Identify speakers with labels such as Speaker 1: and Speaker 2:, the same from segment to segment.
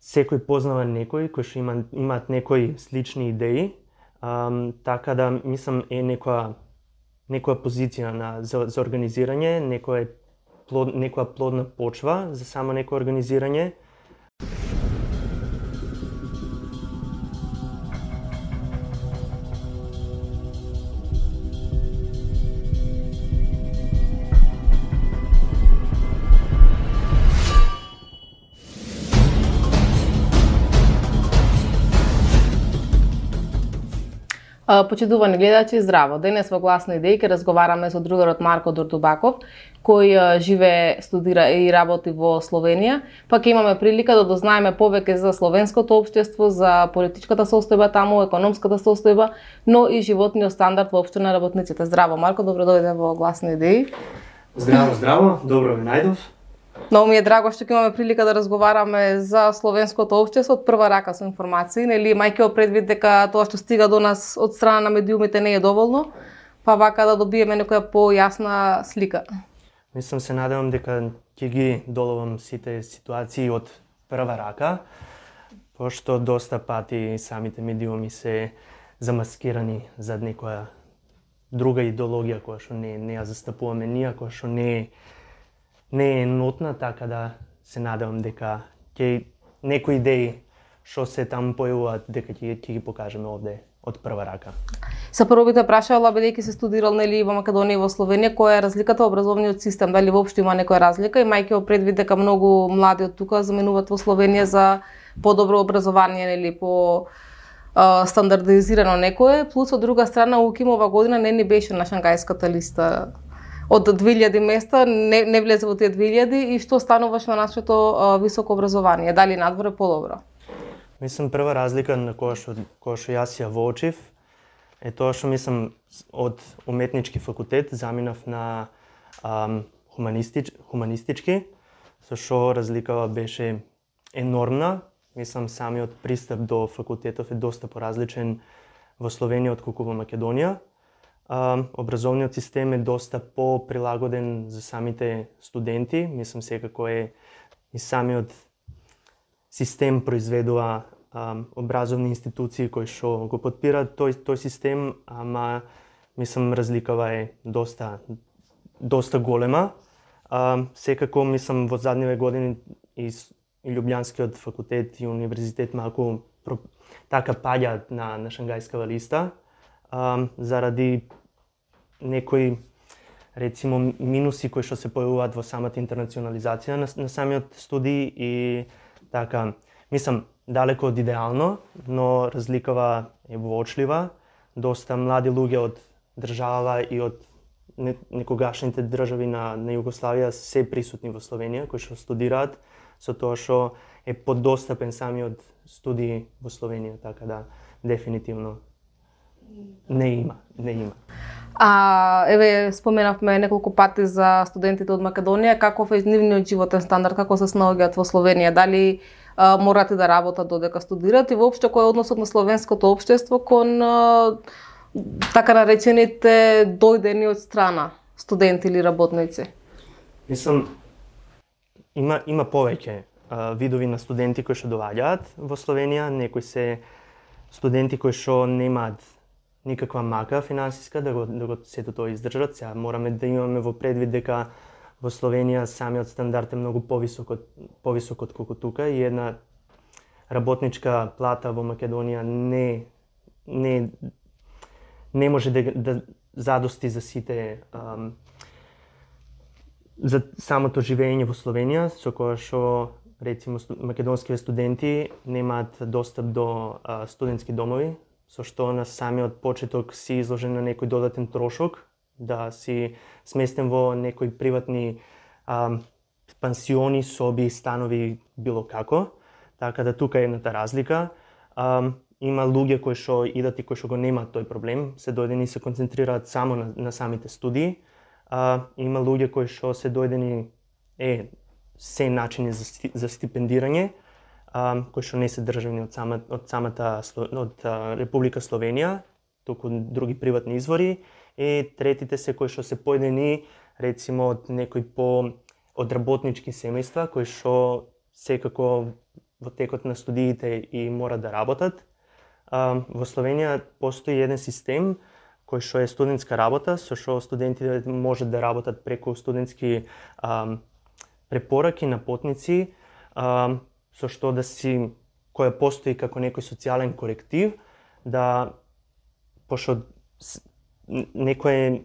Speaker 1: секој познава некој кој што имаат некои слични идеи, така да мислам е некоја позиција за организирање, некоја плодна почва за само некој организирање.
Speaker 2: Почитувани гледачи, здраво! Денес во Гласни идеи ќе разговараме со другарот Марко Дурдубаков, кој живее, студира и работи во Словенија, па ќе имаме прилика да дознаеме повеќе за словенското општество, за политичката состојба таму, економската состојба, но и животниот стандард воопшто на работниците. Здраво, Марко, добро дојде во Гласни идеи.
Speaker 1: Здраво, добро ве најдов.
Speaker 2: Многу ми е драго што ќе имаме прилика да разговараме за словенското општество од прва рака со информации, нели, мајќи во предвид дека тоа што стига до нас од страна на медиумите не е доволно, па вака да добиеме некоја појасна слика.
Speaker 1: Мислам, се надевам дека ќе ги доловам сите ситуации од прва рака, пошто доста пати самите медиуми се замаскирани зад некоја друга идеологија која што не ја застапуваме ние, која што не е нотна, така да се надевам дека ќе некои идеи што се таму појавуваат дека ќе ги покажеме овде од прва рака.
Speaker 2: Са прво би те прашала, бидејќи се студирал нели во Македонија и во Словенија, која е разликата во образовниот систем, дали воопшто има некоја разлика, имајќи во предвид дека многу млади од тука заменуваат во Словенија за подобро образование, нели, по стандардизирано некое, плюс од друга страна УКИМ ова година не ни беше на шангајската листа. Од 2000 места не влезе во тие 2000 и што стануваш на нашето високо образование? Дали надвор е подобро?
Speaker 1: Мислам, прва разлика на која што јас ја воочив е тоа што мислам од уметнички факултет заминав на хуманистички, со што разликава беше енормна. Мислам, самиот пристап до факултетов е доста поразличен во Словенија отколку во Македонија. Образовниот систем е доста по-прилагоден за самите студенти. Мислам, секако е и самиот систем произведува образовни институции кои што го потпираат тој систем, ама мислам разликава е доста голема. Секако мислам во задниве години и Лјубљанскиот факултет и универзитет малку така паѓаат на шангајскава листа заради некои рецимо минуси кои што се појавуваат во самата интернационализација на самиот студij и така, мислам, далеко од идеално, но разликава е воочлива. Доста млади луѓе од држава и од некогашните држави на Југославија се присутни во Словенија, кои што студираат, со тоа што е подостапен самиот студij во Словенија, така да дефинитивно не има.
Speaker 2: Еве, споменавме неколку пати за студентите од Македонија, каков е нивниот животен стандард, како се снаоѓаат во Словенија, дали морате да работат додека студираат и воопшто кој е односот на словенското општество кон така наречените дојдени од страна студенти или работници?
Speaker 1: Мислам, има повеќе видови на студенти кои што доаѓаат во Словенија, некои се студенти кои што немаат никаква мака финансиска да го сето тоа издржат. Сега мораме да имаме во предвид дека во Словенија самиот стандард е многу повисок отколку тука и една работничка плата во Македонија не може да задости за сите за самото живење во Словенија, со кое што рецимо македонските студенти немаат достап до студентски домови, со што на самиот почеток си изложен на некој додатен трошок, да си сместен во некои приватни пансиони, соби, станови, било како. Така да тука е едната разлика. Има луѓе кои што идат и кои што го немаат тој проблем, се дојдени и се концентрираат само на самите студии. Има луѓе кои што се дојдени се начини за стипендирање, кои што не се државни од Република Словенија, туку други приватни извори, и третите се кои што се појдени рецимо од некои од работнички семејства, кои што секако во текот на студиите и мора да работат. Во Словенија постои еден систем кој што е студентска работа, со што студентите можат да работат преку студентски препораки на потници, со што која постои како некој социјален коректив, да пошто некое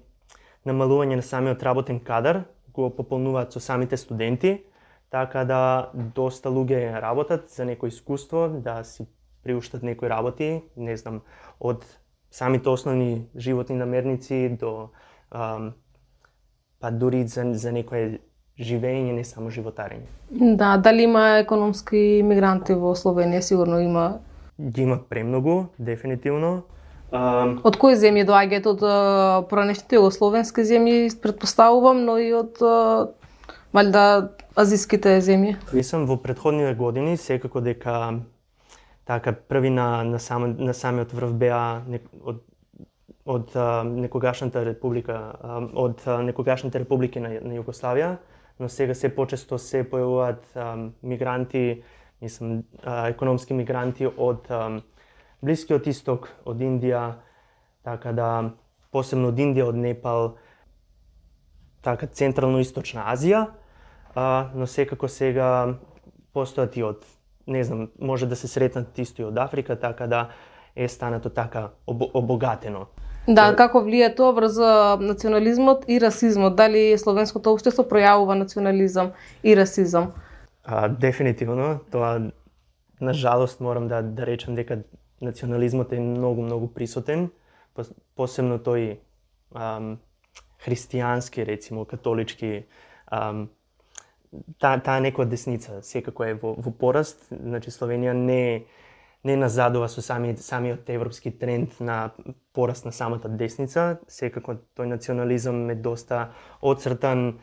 Speaker 1: намалување на самиот работен кадар го пополнуваат со самите студенти, така да доста луѓе работат за некој искуство, да си приуштат некои работи, не знам, од самите основни животни намерници до па дури за некое живење, не само животарење.
Speaker 2: Да, дали има економски мигранти во Словенија? Сигурно има.
Speaker 1: Ги има премногу, дефинитивно.
Speaker 2: Од кои земји доаѓаат? Од поранешните југословенски земји, претпоставувам, но и од валјда азиските земји.
Speaker 1: Мислам, во претходните години секако дека така први на самиот врв беа од некогашната република, од некогашните републики на Југославија, но сега се почесто се појавуваат мигранти, мислам, економски мигранти од Блискиот исток, од Индија, така да посебно од Индија, од Непал, така Централно-источна Азија, но секако сега постојат и од, не знам, може да се сретнат исто и од Африка, така да е станато така обогатено.
Speaker 2: Да, како влие тоа врз национализмот и расизмот? Дали словенското општество пројавува национализам и расизам?
Speaker 1: Дефинитивно, тоа на жалост морам да речам дека национализмот е многу присутен, посебно тој христијански, рецимо, католички, таа некоја десница секако е во пораст. Значи Словенија не назадува со самиот европски тренд на пораст на самата десница. Секако тој национализам е доста отцртан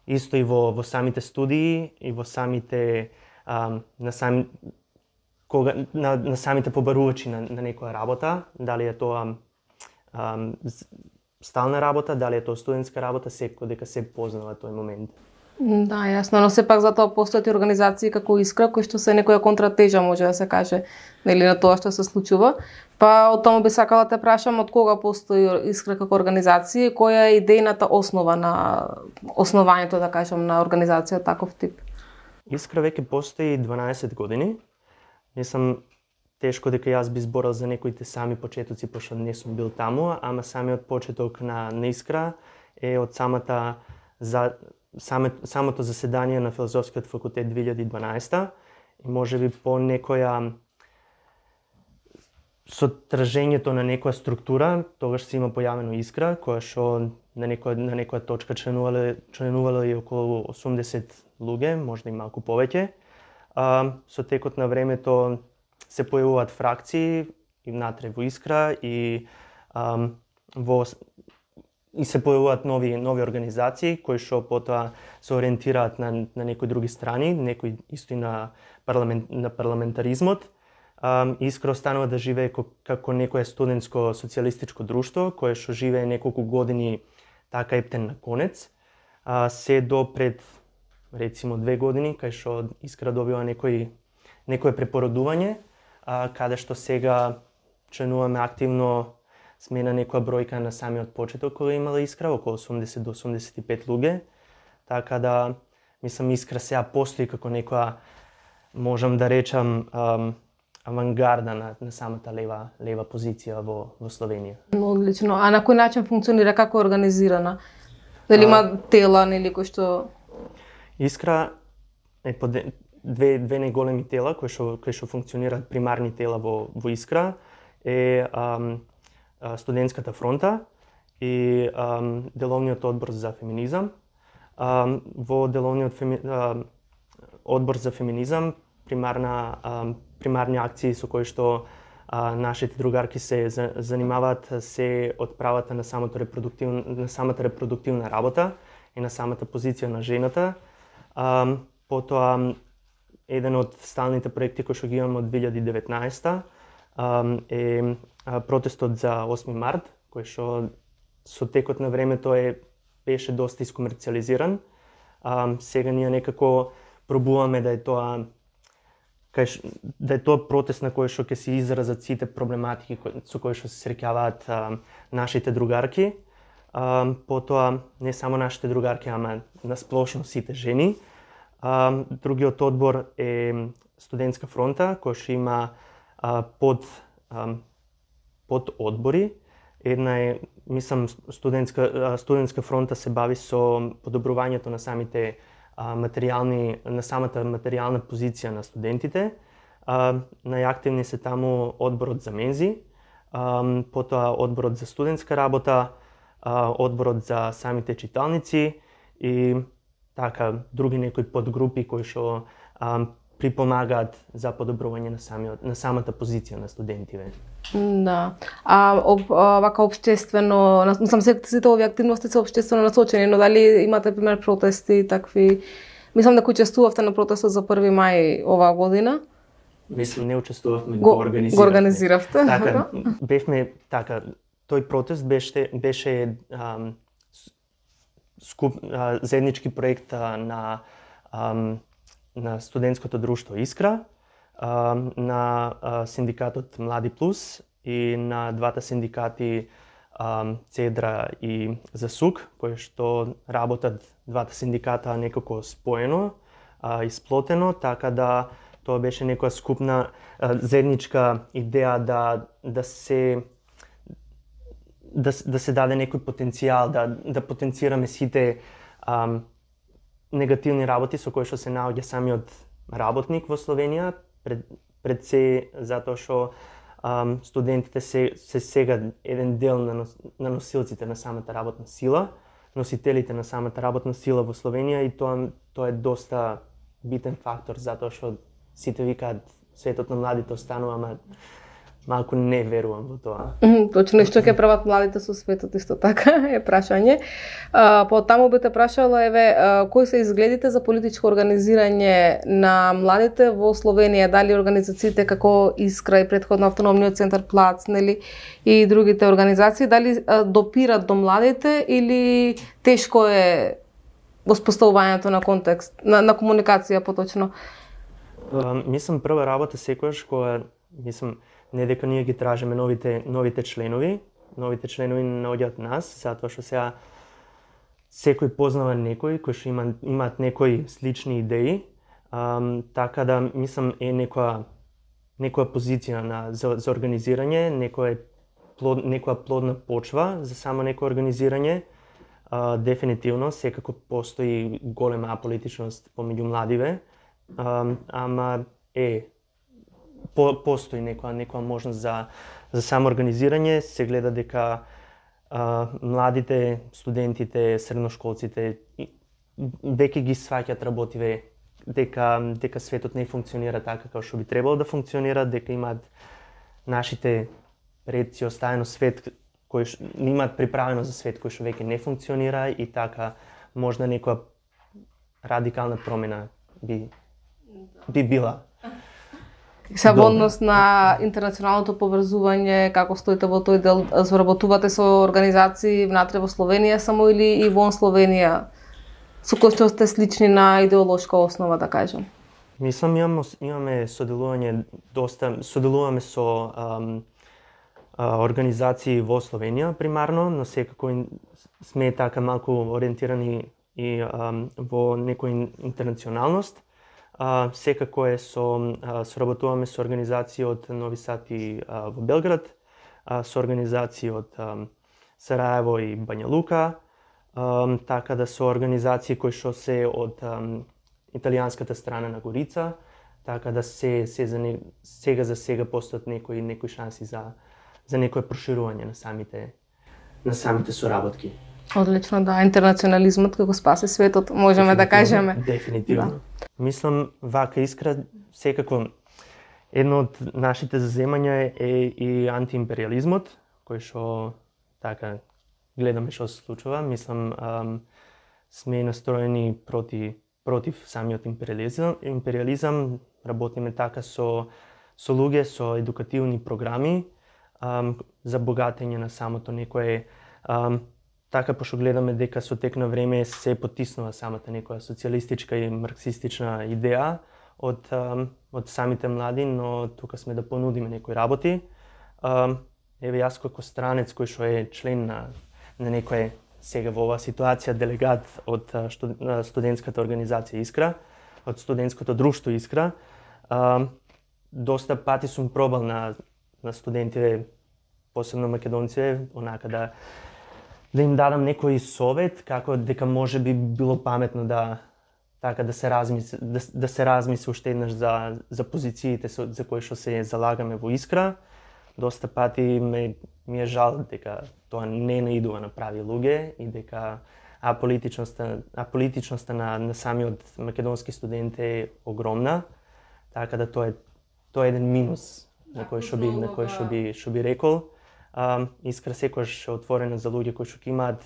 Speaker 1: исто и во самите студии и во самите на самите побарувачи на некоја работа, дали е тоа стална работа, дали е тоа студентска работа, секако дека се познава тој момент.
Speaker 2: Да, јасно, но сепак затоа постојат и организации како Искра, кои што се некоја контратежа, може да се каже, нели, на тоа што се случува. Па од тоа би сакала да те прашам од кога постои Искра како организација и која е идејната основа на основањето, да кажам, на организација таков тип?
Speaker 1: Искра веќе постои 12 години. Мислам, тешко дека јас би зборал за некоите сами почетоци, пошто не сум бил таму, ама самиот почеток на Искра е од самото заседание на Филозофскиот факултет 2012 и можеби по некоја со тражењето на некоја структура, тогаш се има појавено Искра, која што на некоја точка членувало и околу 80 луѓе, можда и малку повеќе. Со текот на времето се појавуваат фракции и внатре во Искра и се појавуваат нови организации кои што потоа се ориентираат на некои други страни, некои исто и на парламентаризмот. Искра останува да живее како некое студентско социјалистичко друштво кое што живее неколку години така ептен на конец, се до пред рецимо 2 години кај што Искра добива некое препородување, каде што сега членуваме активно. Сме на некоја бројка на самиот почеток кога имала Искра, околу 80 до 85 луѓе. Така да, мислам, Искра сега постои како некоја, можам да речам, авангарда на самата лева позиција во Словенија.
Speaker 2: Одлично. А на кој начин функционира, како е организирана? Дали има тела, нели, кои што...
Speaker 1: Искра е по две најголеми тела кои што функционираат, примарни тела во Искра е Студентската фронта и Деловниот одбор за феминизам. Во Деловниот одбор за феминизам примарни акции со кои што нашите другарки се занимаваат се од правата на самата репродуктивна работа и на самата позиција на жената. Потоа еден од сталните проекти кои што ги имаме од 2019 е протестот за 8 март, кој што со текот на времето беше доста искомерциализиран. Сега ние некако пробуваме да е тоа да е тоа протест на кој што ќе се изразат сите проблематики со кои што се среќаваат нашите другарки. Потоа не само нашите другарки, ама насплошно сите жени. Другиот одбор е студентска фронта, кој што има под одбори. Една е, мислам, студентска фронта се бави со подобрувањето на самите на самата материјална позиција на студентите. Најактивни се таму одборот за мензи, потоа одборот за студентска работа, одборот за самите читалници и така други некои подгрупи кои што припомагаат за подобрување на самата позиција на студентиве.
Speaker 2: Да. Вака општествено, сам сите овие активности се општествено насочени, но дали имате пример протести такви? Мислам дека учествувавте на протестот за 1 мај оваа година.
Speaker 1: Мислам, не учествувавме,
Speaker 2: го организиравте.
Speaker 1: Така, бевме така. Тој протест беше заеднички проект на студентското друштво Искра, на синдикатот Млади Плюс и на двата синдикати Цедра и Засук, кои што работат двата синдиката некако споено, исплотено, така да тоа беше некоја скупна заедничка идеја да се даде некој потенцијал, да потенцираме сите негативни работи со кои што се наоѓа самиот работник во Словенија, пред се затоа што студентите се сега еден дел на носилците на самата работна сила, носителите на самата работна сила во Словенија, и тоа е доста битен фактор, затоа што сите викаат светот на младите останува, ама малку не верувам во тоа.
Speaker 2: Точно, што ќе прават младите со светот, исто така е прашање. Потаму би те прашала, кои се изгледите за политичко организирање на младите во Словенија? Дали организациите како Искра и претходно Автономниот центар Плац, нели, и другите организации, дали допират до младите или тешко е воспоставувањето на контекст, на комуникација поточно?
Speaker 1: Мислам, прва работа секогаш која, не дека ние ги тражиме новите членови не наоѓаат нас, затоа што сега секој познава некој кој што имаат некои слични идеи, така да мислам е некоја позиција за организирање, некоја плодна почва за само некој организирање. Дефинитивно секако постои голема аполитичност помеѓу младиве, ама постои некоја можност за самоорганизирање. Се гледа дека младите, студентите, средношколците веќе ги сваќаат работиве, дека светот не функционира така како што би требало да функционира, дека имаат нашите предци оставено свет кој имаат приправено за свет кој што веќе не функционира, и така можда некоја радикална промена би била.
Speaker 2: Се во однос на интернационалното поврзување, како стоите во тој дел? Соработувате со организации внатре во Словенија само или и вон Словенија, со кои што сте слични на идеолошка основа, да кажем?
Speaker 1: Мислам, имаме соделуваме со организации во Словенија примарно, но секако сме така малку ориентирани и во некоја интернационалност. Секако соработуваме со организации од Нови Сад и во Белград, со организации од Сараево и Бања Лука, така да со организации кои што се од италијанската страна на Горица, така да сега за сега постојат некои шанси за некое проширување на самите соработки.
Speaker 2: Одлично, да, интернационализмот како спаси светот, можеме да кажеме.
Speaker 1: Дефинитивно. Да. Мислам, вака Искра, секако едно од нашите заземања е и антиимпериализмот, кој што така гледаме што се случува. Мислам, сме настроени против самиот империализам, работиме така со луѓе, со едукативни програми за богатење на самото некое, така пошто гледаме дека со тек на време се потиснува самата некоја социјалистичка и марксистична идеја од самите млади, но тука сме да понудиме некои работи. Еве јас како странец кој што е член на некој сега во оваа ситуација делегат од студентската организација Искра, од студентското друштво Искра, доста пати сум пробал на студентите, посебно македонци, онака да им дадам некој совет како дека може би било паметно да се размисли уште еднаш за позициите за кои што се залагаме во Искра. Доста пати ми е жал дека тоа не наидува на прави луѓе и дека аполитичноста на самиот македонски студент е огромна, така да тоа е еден минус на кој што би рекол. Искра секогаш е отворена за луѓе кои што имаат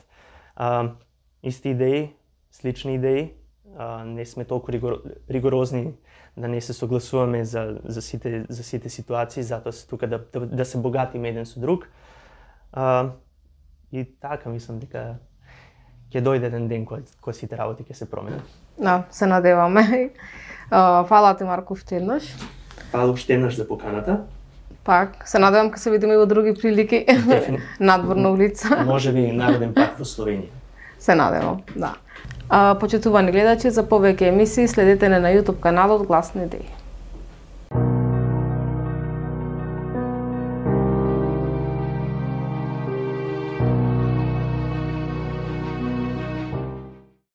Speaker 1: исти идеи, слични идеи. Не сме толку ригорозни да не се согласуваме за сите ситуации, затоа се тука да се богатиме еден со друг. И така мислам дека ќе дојде еден ден кога сите работи ќе се променат.
Speaker 2: Да, се надеваме. Фала ти, Марко, уште еднаш.
Speaker 1: Фала уште еднаш за поканата.
Speaker 2: Пак, се надевам ке се видиме и во други прилики. Надворно улица.
Speaker 1: Може би народен пат во Словенија.
Speaker 2: Се надевам, да. Почитувани гледачи, за повеќе емисии следете на YouTube каналот Гласни идеи.